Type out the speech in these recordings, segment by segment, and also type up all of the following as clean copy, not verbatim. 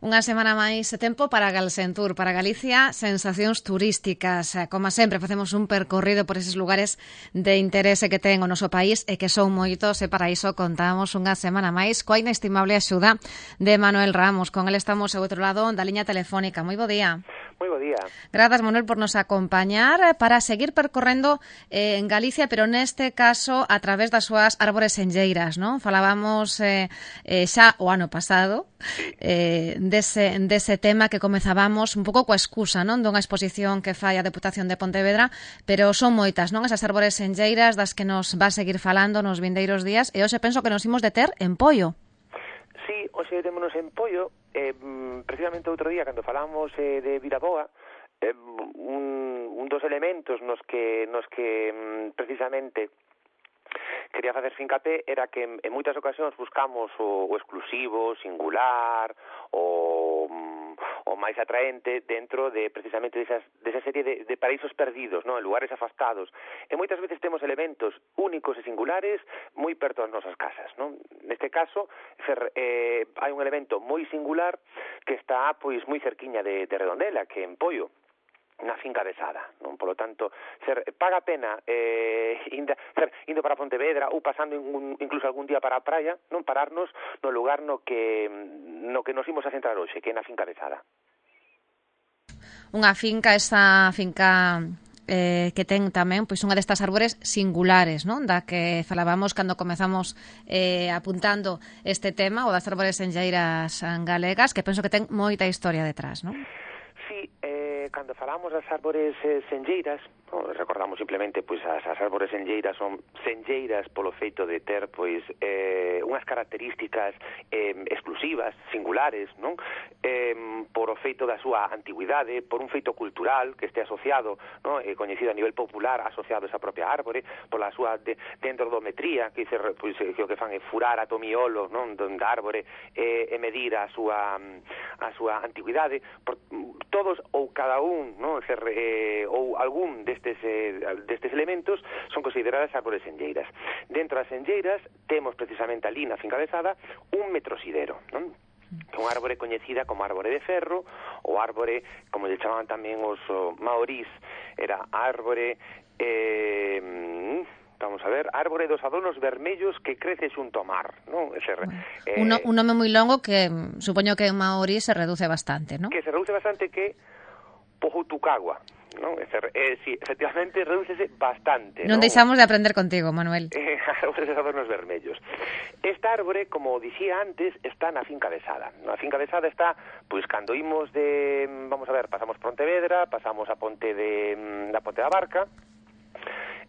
Unha semana máis de tempo para Galsentur, para Galicia, sensacións turísticas. Como sempre, facemos un percorrido por eses lugares de interese que ten o noso país e que son moitos, e para iso contamos unha semana máis coa inestimable axuda de Manuel Ramos. Con ele estamos ao outro lado da liña telefónica. Moi bo día. Moi bo día. Grazas, Manuel, por nos acompañar para seguir percorrendo en Galicia, pero neste caso a través das súas árbores enlleiras, non? Falábamos xa o ano pasado dese tema que comezábamos un pouco coa excusa, non, dunha exposición que fai a Deputación de Pontevedra, pero son moitas, non, esas árbores enlleiras das que nos va a seguir falando nos vindeiros días, e hoxe penso que nos imos deter en Poio. Sí, hoxe démonos en Poio, precisamente outro día, cando falamos de Viraboa, un dos elementos nos que precisamente quería facer fincapé era que en moitas ocasións buscamos o exclusivo, singular, o máis atraente dentro de precisamente desa serie de paraísos perdidos, non, en lugares afastados. E moitas veces temos elementos únicos e singulares moi perto das nosas casas, non? Neste caso, hai un elemento moi singular que está pois moi cerquiña de Redondela, que en Poio, na finca de Sada, non? Polo tanto, paga a pena indo para Pontevedra ou pasando incluso algún día para a praia, non pararnos no lugar no que nos imos a centrar hoxe, que é na finca de Sada. Unha finca, esa finca que ten tamén pois unha destas árbores singulares, non? Da que falábamos cando comezamos apuntando este tema, o das árbores enlleiras galegas, que penso que ten moita historia detrás, non? Sí, cando falamos das árbores senlleiras, recordamos simplemente pois as árbores senlleiras son senlleiras polo feito de ter pois unhas características exclusivas, singulares, non? Por o feito da súa antigüidade, por un feito cultural que este asociado, non? Coñecido a nivel popular, asociado a esa propia árbore, pola súa dendrodometría, que dice pois que o que fan é furar a tomiolo, non, da árbore e medir a súa antigüidade, por todos ou cada un, non, ou algún destes elementos son consideradas árbores senlleiras. Dentro das senlleiras temos precisamente ali na finca de Sada un metrosidero, non? Que é unha árbore coñecida como árbore de ferro, ou árbore, como lle chamaban tamén os maorís, era árbore vamos a ver, árbore dos adornos vermellos que crece xunto ao mar, non? Un nome moi longo que supoño que en maorí se reduce bastante, non? Que se reduce bastante, que Pohutucagua, non? Sí, efectivamente redúcese bastante, non? Deixamos de aprender contigo, Manuel. Árbores de adornos vermellos. Esta árbore, como dicía antes, está na finca de Sada. Na finca de Sada está, pois, cando imos vamos a ver, pasamos Pontevedra, pasamos a Ponte da Barca,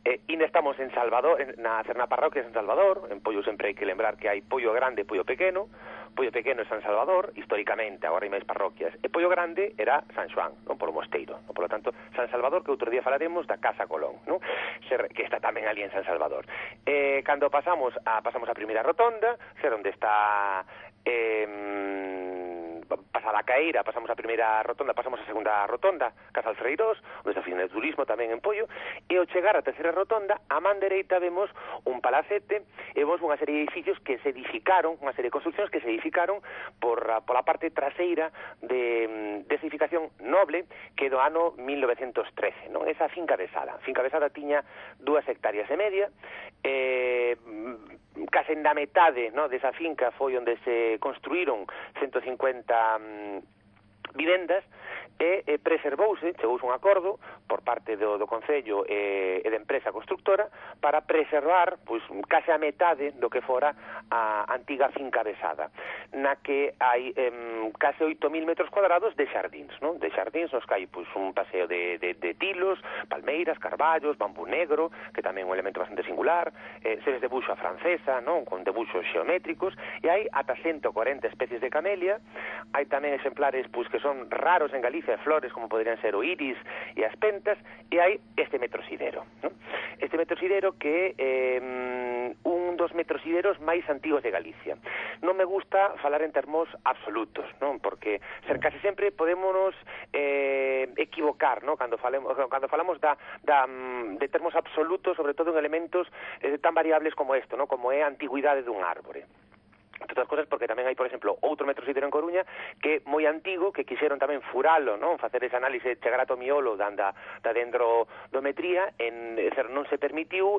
ainda estamos en Salvador, na parroquia de San Salvador. En Poio sempre hai que lembrar que hai Poio Grande e Poio Pequeno. Poio Pequeno é San Salvador, históricamente, agora hai máis parroquias, e Poio Grande era San Xoán, non, polo mosteiro, non? Por lo tanto, San Salvador, que outro día falaremos da Casa Colón, non? Que está tamén ali en San Salvador. Cando pasamos a primeira rotonda, onde está pasada a Caeira, pasamos a primeira rotonda, pasamos a segunda rotonda, Casal Freirós, onde está a oficina de turismo tamén en Poio, e ao chegar a terceira rotonda, a man dereita vemos un palacete e vemos unha serie de edificios que se edificaron, unha serie de construccións que se edificaron pola parte traseira de edificación noble que do ano 1913, non? Esa finca de Sada. A finca de Sada tiña 2 hectáreas e media, case na metade, no, desa finca foi onde se construíron 150 vivendas, e preservouse, chegouse un acordo por parte do Concello e da empresa constructora para preservar pois case a metade do que fora a antiga finca de Sada, na que hai case 8.000 metros cuadrados de xardíns, non? De xardíns nos que hai pois un paseo de tilos, palmeiras, carballos, bambú negro, que tamén é un elemento bastante singular, seres de buxo a francesa, non? Con debuxos xeométricos, e hai ata 140 especies de camelia. Hai tamén exemplares pois que son raros en Galicia, flores como podrían ser o iris e as pentas, e hai este metrosidero, non? Este metrosidero que é un dos metrosideros máis antigos de Galicia. Non me gusta falar en termos absolutos, non? Porque case sempre podémonos equivocar, non? Cando falamos de termos absolutos, sobre todo en elementos tan variables como isto, non? Como é a antigüidade dun árbore. Entre outras cosas porque tamén hai, por exemplo, outro metrosideiro en Coruña que é moi antigo, que quixeron tamén furalo, non? Facer ese análise, chegar ata o miolo da dendrometría, non se permitiu,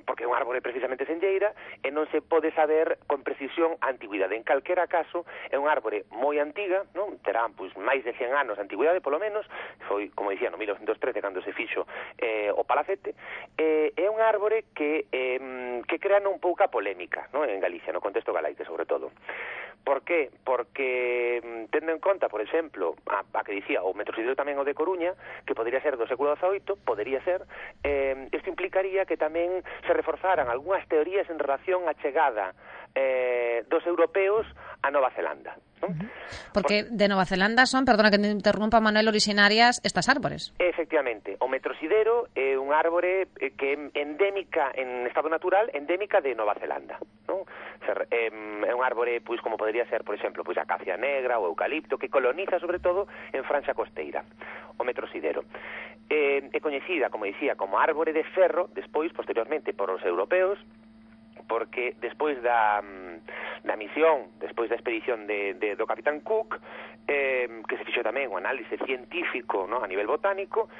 porque é un árbore precisamente senlleira, e non se pode saber con precisión a antigüidade. En calquera caso, é un árbore moi antiga, non? Terán, pois, máis de 100 anos de antigüidade, polo menos, foi, como dicía, no 1913, cando se fixo o palacete, é un árbore que crea non pouca polémica, non? En Galicia, no contexto galaico, sobre todo. Por qué? Porque, tendo en conta, por exemplo, a que dicía o metrosideiro tamén o de Coruña, que podría ser do século XVIII, podería ser, isto implicaría que tamén se reforzaran algunhas teorías en relación á chegada dos europeos a Nova Zelanda, non? Porque de Nova Zelanda son, perdona que te interrumpa, Manuel, originarias estas árbores. Efectivamente, o metrosideiro é un árbore que é endémica, en estado natural, endémica de Nova Zelanda, non? É un árbore, pois, como podría ser, por exemplo, pois a acacia negra ou eucalipto, que coloniza, sobre todo, en franxa costeira, o metrosideiro. É coñecida, como dicía, como árbore de ferro, despois, posteriormente, por os europeos, porque despois da misión, despois da expedición do Capitán Cook, que se fixo tamén un análise científico, no, a nivel botánico,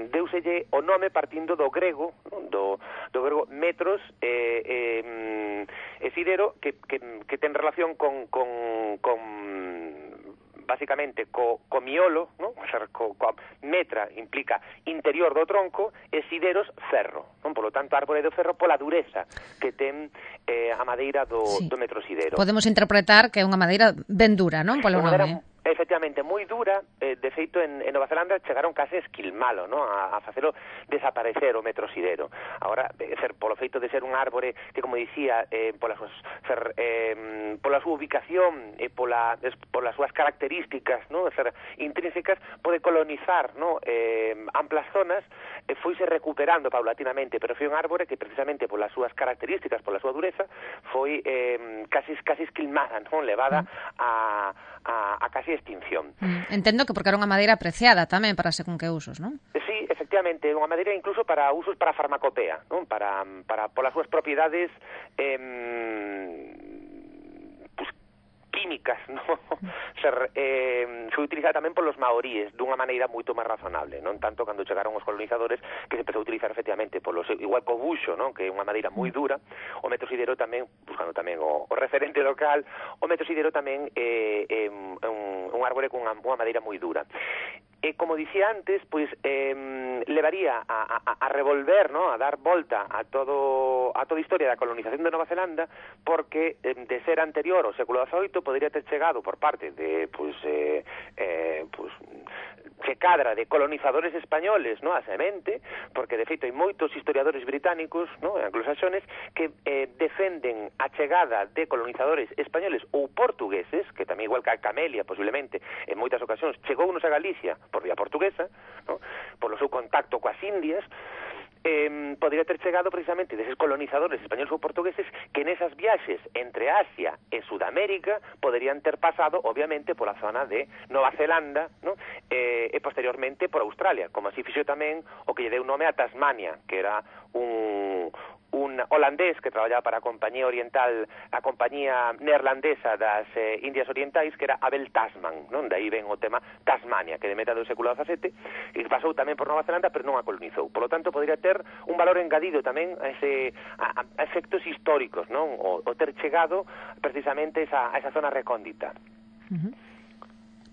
deuselle o nome partindo do grego, no, do grego metros e sidero, que ten relación con basicamente co miolo, ¿no? O sea, coa metra implica interior do tronco e sideros ferro, non? Por lo tanto, árbore do ferro pola dureza que ten a madeira do metrosidero. Podemos interpretar que é unha madeira ben dura, non? Polo nome. Efectivamente, moi dura. De feito, en Nova Zelanda chegaron case a esquilmalo, ¿no? A facelo desaparecer o metrosidero. Agora, polo feito de ser un árbore que, como dicía, pola súa ubicación e polas súas características, ¿no? Ser intrínsecas, pode colonizar, ¿no? Amplas zonas, foise recuperando paulatinamente, pero foi un árbore que precisamente polas súas características, pola súa dureza, foi casi esquilmada, ¿no? Levada a casi extinción. Entendo que porque era unha madeira apreciada tamén para según que usos, non? Sí, efectivamente, unha madeira incluso para usos para farmacopea, non? Para polas súas propiedades químicas, ¿no? Foi utilizada tamén polos maoríes dunha maneira moito máis razonable, non tanto cando chegaron os colonizadores, que se empezou a utilizar efectivamente polos, igual co buxo, non? Que é unha madeira moi dura. O metrosidero tamén, buscando tamén o referente local, o metrosidero tamén é un árbore con unha madeira moi dura. E como dicía antes, pois levaría a revolver, ¿no? A dar volta a toda a historia da colonización de Nova Zelanda, porque de ser anterior ao século XVIII podría ter chegado por parte de que cadra de colonizadores españoles, ¿no? A semente, porque de feito hai moitos historiadores británicos, ¿no? Anglosaxones que defenden a chegada de colonizadores españoles ou portugueses, que tamén igual que a Camelia posiblemente en moitas ocasións chegounos a Galicia por vía portuguesa, ¿no? Polo seu contacto coas Indias, podría ter chegado precisamente deses colonizadores españoles ou portugueses que nesas viaxes entre Asia e Sudamérica poderían ter pasado, obviamente, pola zona de Nova Zelanda, ¿no? E posteriormente por Australia, como así fixo tamén o que lle deu nome a Tasmania, que era un holandés que traballaba para a compañía oriental, a compañía neerlandesa das Indias Orientais, que era Abel Tasman, non? De aí ven o tema Tasmania, que de metade do século XVII, que pasou tamén por Nova Zelanda, pero non a colonizou. Por lo tanto, podría ter un valor engadido tamén a efectos históricos, non? O ter chegado precisamente a esa zona recóndita.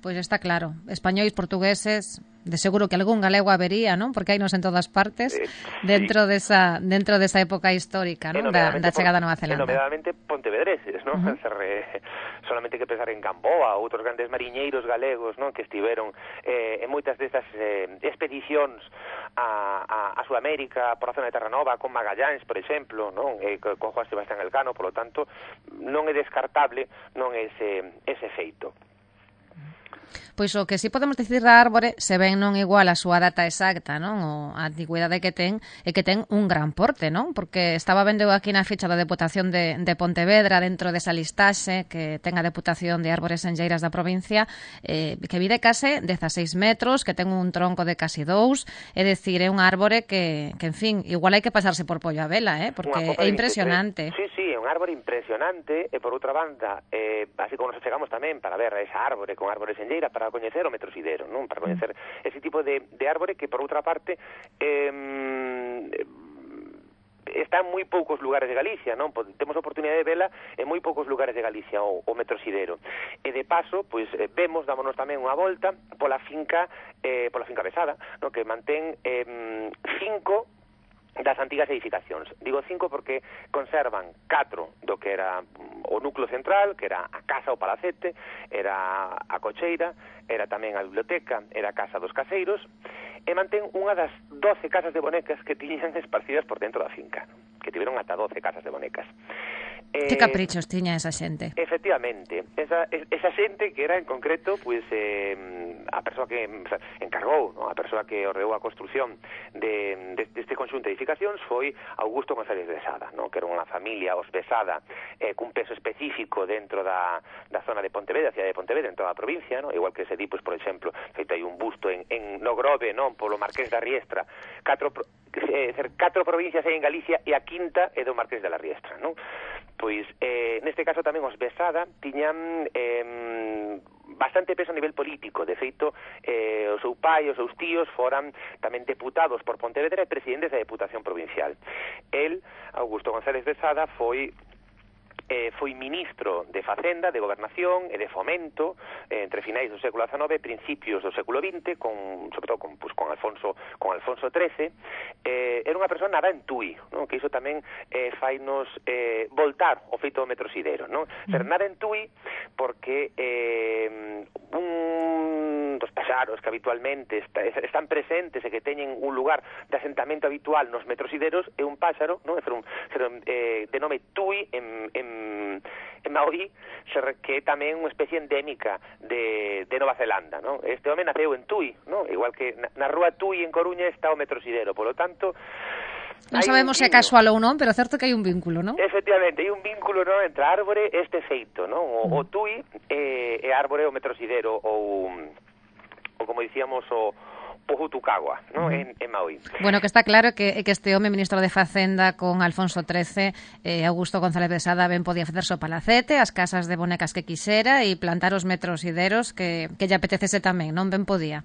Pois está claro, españois, portugueses, de seguro que algún galego habería, non? Porque hainos en todas partes, dentro desa época histórica, non? Da chegada a Nova Zelanda. E nomeadamente pontevedreses, non? Solamente que pensar en Gamboa, outros grandes mariñeiros galegos, non? Que estiveron en moitas destas expedicións a Sudamérica, por a zona de Terranova, con Magallanes, por exemplo, non? Con Juan Sebastián Elcano, por lo tanto, non é descartable non ese feito. Pois o que si podemos dicir da árbore, se ben non igual a súa data exacta, non? O a antigüidade que ten, é que ten un gran porte, non? Porque estaba vendo aquí na ficha da Deputación de Pontevedra, dentro desa listaxe que ten a Deputación de Árbores Senlleiras da provincia, que mide case 16 metros, que ten un tronco de casi 2, é dicir, é un árbore que en fin, igual hai que pasarse por pollo a vela, porque é impresionante. Sí, é un árbore impresionante, e por outra banda, así como nos chegamos tamén para ver esa árbore con árbores en lleira, para coñecer o metrosidero, non? Para coñecer ese tipo de árbore que, por outra parte, está en moi poucos lugares de Galicia, non? Temos a oportunidade de vela en moi poucos lugares de Galicia, o metrosidero. E de paso, pois, dámonos tamén unha volta pola finca Besada, non? Que mantén 5 das antigas edificacións. Digo 5 porque conservan 4 do que era o núcleo central, que era a casa, o palacete, era a cocheira, era tamén a biblioteca, era a casa dos caseiros, e mantén unha das 12 casas de bonecas que tiñan esparcidas por dentro da finca, que tiveron ata 12 casas de bonecas. Que caprichos tiña esa xente? Efectivamente, esa xente que era en concreto pois a persoa que encargou, ¿no? A persoa que ordeou a construción deste conxunto de edificacións foi Augusto González Besada, ¿no? Que era unha familia, os Besada, cun peso específico dentro da zona de Pontevedra, a cidade de Pontevedra, en toda a provincia, ¿no? Igual que se di, pois, por exemplo, feito hai un busto en no Grove, non? Polo Marqués da Riestra, 4 provincias hai en Galicia e a quinta é do Marqués de la Riestra, non? Pois, neste caso tamén os Besada tiñan bastante peso a nivel político. De feito, o seu pai e os seus tíos foran tamén deputados por Pontevedra e presidentes da Deputación Provincial. El, Augusto González Besada, foi ministro de Facenda, de Gobernación e de Fomento entre finais do século XIX e principios do século XX, sobre todo con Alfonso XIII. Era unha persoa nada en Tui, non? Que iso tamén fainos voltar o feito do metrosidero, non? Ser nada en Tui porque un dos paxaros que habitualmente están presentes e que teñen un lugar de asentamento habitual nos metrosideros é un páxaro, non? De nome Tui en Maorí, que é tamén unha especie endémica de Nova Zelanda, non? Este home naceu en Tui, non? Igual que na rúa Tui en Coruña está o metrosidero, polo tanto non sabemos se é casual ou non, pero certo que hai un vínculo, non? Efectivamente, hai un vínculo, non, entre a árbore e este feito, non? O Tui e a árbore o metrosidero ou como dicíamos o Pujutucagua, ¿no? En Maui. Bueno, que está claro que este home, ministro de Facenda con Alfonso XIII, Augusto González Besada, ben podía facerse o palacete, as casas de bonecas que quixera e plantar os metrosideros que lle apetecese tamén, non? Ben podía.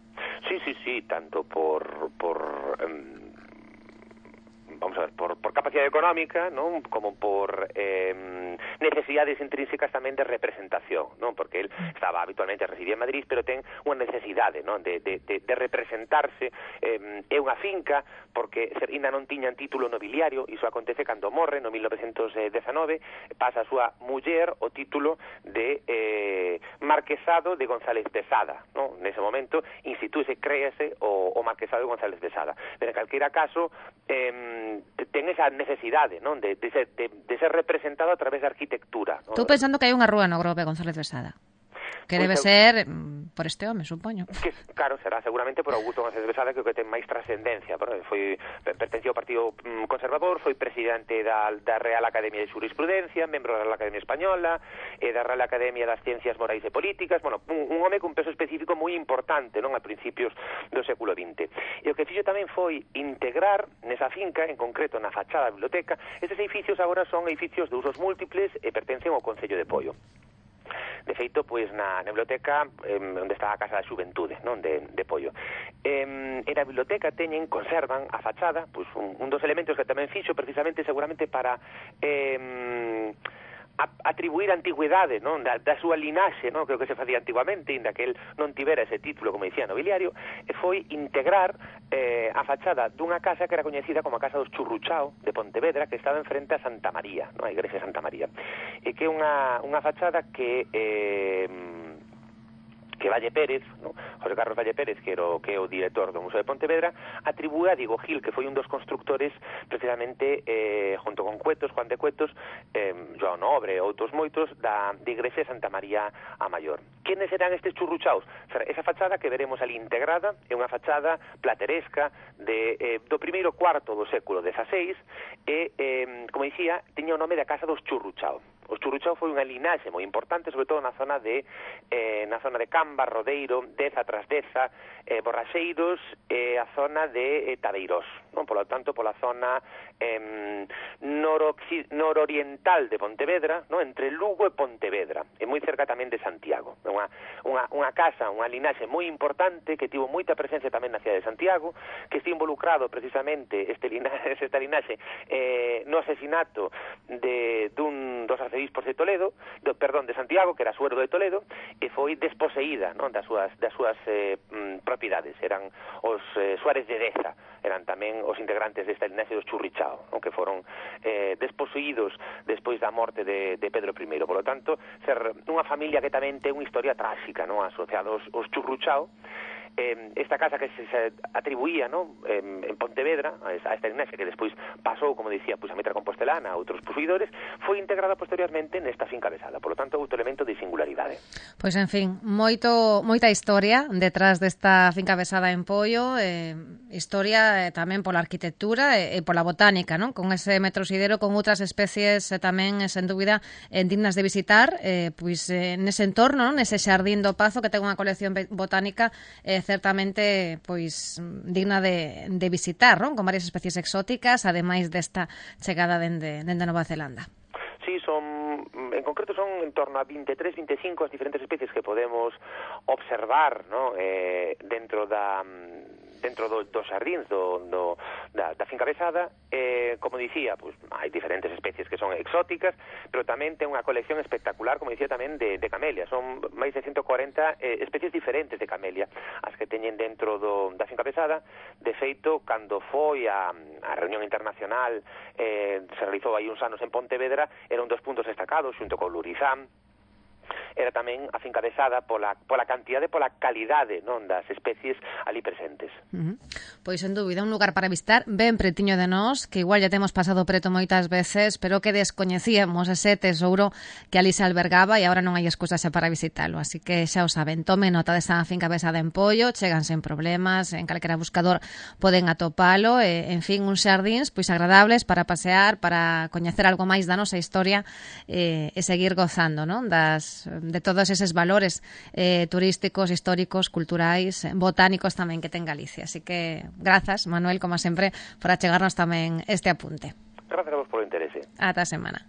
Sí, tanto por vamos a ver, por capacidade económica, non? Como por necesidades intrínsecas tamén de representación, non? Porque él estaba habitualmente residía en Madrid, pero ten unha necesidade, non? De representarse. É unha finca porque ainda non tiñan título nobiliario, iso acontece cando morre no 1919, pasa a súa muller o título de Marquesado de González Besada, non? Nese momento institúese, créase o Marquesado de González Besada. Pero en calquera caso ten esa necesidade, non? De ser representado a través da arquitectura, non? Estou pensando que hai unha rúa no Grove González Besada, que debe ser por este home, supoño. Que, claro, será seguramente por Augusto González Besada, que ten máis trascendencia. Pertenceu ao Partido Conservador, foi presidente da Real Academia de Jurisprudencia, membro da Real Academia Española e da Real Academia das Ciencias Morais e Políticas. Bueno, un home con peso específico moi importante, non? A principios do século XX. E o que fixo tamén foi integrar nesa finca, en concreto na fachada da biblioteca. Estes edificios agora son edificios de usos múltiples e pertencen ao Concello de Poio. De feito, pois na biblioteca onde está a Casa da Xuventude, non? De Poio. E na biblioteca conservan a fachada, pois un dos elementos que tamén fixo precisamente seguramente para atribuir a antigüidade, non? Da súa linaxe, non? Creo que se facía antiguamente, inda que el non tivera ese título, como dicía, nobiliario, e foi integrar a fachada dunha casa que era coñecida como a Casa dos Churruchao de Pontevedra, que estaba enfrente a Santa María, non? A igrexa de Santa María, e que é unha fachada que Valle Pérez, ¿no? José Carlos Valle Pérez, que é o director do Museo de Pontevedra, atribúe a Diego Gil, que foi un dos constructores precisamente junto con Juan de Cuetos, João Nobre e outros moitos da igrexa de Santa María a Maior. Quenes eran estes churruchaos? Esa fachada que veremos ali integrada é unha fachada plateresca do primeiro cuarto do século XVI e, como dicía, tiña o nome da Casa dos Churruchao. Os Churruchao foi unha linaxe moi importante, sobre todo na zona de Camba, Rodeiro, Deza tras Deza, Borraxeiros e a zona de Tabeirós, non? Polo tanto, pola zona nororiental de Pontevedra, non? Entre Lugo e Pontevedra, e moi cerca tamén de Santiago. Unha casa, unha linaxe moi importante que tivo moita presencia tamén na cidade de Santiago, que está involucrado precisamente esta linaxe no asesinato dun dos arcebispos de Toledo, de Santiago, que era Suero de Toledo, e foi desposeída, non? das súas propiedades. Eran os Suárez de Deza, eran tamén os integrantes desta linaxe dos Churrichao, non? Que foron desposeídos despois da morte de Pedro I. Por lo tanto, ser unha familia que tamén ten unha historia tráxica, non? Asociada aos Churruchao. Esta casa que se atribuía, ¿no? En Pontevedra a esta linaxe que despois pasou, como dicía, a Mitra Compostelana a outros posuidores, foi integrada posteriormente nesta finca Besada. Por lo tanto, outro elemento de singularidade. Pois, en fin, moita historia detrás desta finca Besada en Poio, historia tamén pola arquitectura e pola botánica, non? Con ese metrosidero, con outras especies tamén, sen dúbida, dignas de visitar, pois nese entorno, non? Nese xardín do Pazo, que ten unha colección botánica certamente pois digna de visitar, non? Con varias especies exóticas, ademais desta chegada dende Nova Zelanda. Sí, en concreto son en torno a 23, 25 as diferentes especies que podemos observar, ¿no? dentro dos xardíns da finca Besada. Como dicía, hai diferentes especies que son exóticas, pero tamén ten unha colección espectacular, como dicía, tamén de camelia. Son máis de 140 especies diferentes de camelia as que teñen dentro da finca Besada. De feito, cando foi a reunión internacional se realizou aí uns anos en Pontevedra, era un dos puntos destacados xunto con Lurizán. Era tamén a finca Besada pola cantidade e pola calidade, non, das especies ali presentes. Pois, sen dúbida, un lugar para visitar ben pretiño de nós, que igual ya temos pasado preto moitas veces, pero que descoñecíamos ese tesouro que ali se albergaba e agora non hai excusa xa para visitalo. Así que xa o saben, tome nota desta finca Besada en Poio, chegan sen problemas, en calquera buscador poden atopalo, en fin, uns xardíns pois agradables para pasear, para coñecer algo máis da nosa historia e seguir gozando, non, de todos eses valores turísticos, históricos, culturais, botánicos tamén que ten Galicia. Así que, grazas, Manuel, como sempre, por achegarnos tamén este apunte. Grazas a vos polo interese. Ata a semana.